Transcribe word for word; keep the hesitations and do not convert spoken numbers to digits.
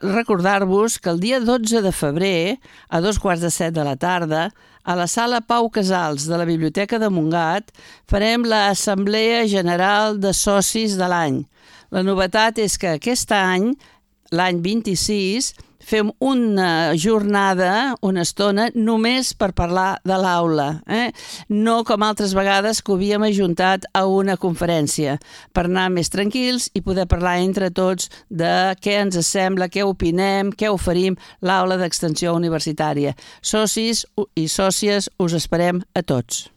recordar-vos que el dia dotze de febrer, a dos quarts de set de la tarda, a la sala Pau Casals de la Biblioteca de Montgat, farem l'Assemblea General de Socis de l'any. La novetat és que aquest any, l'any vint-i-sis, fem una jornada, una estona, només per parlar de l'aula. Eh? No com altres vegades que ho havíem ajuntat a una conferència, per anar més tranquils i poder parlar entre tots de què ens sembla, què opinem, què oferim l'aula d'extensió universitària. Socis i sòcies, us esperem a tots.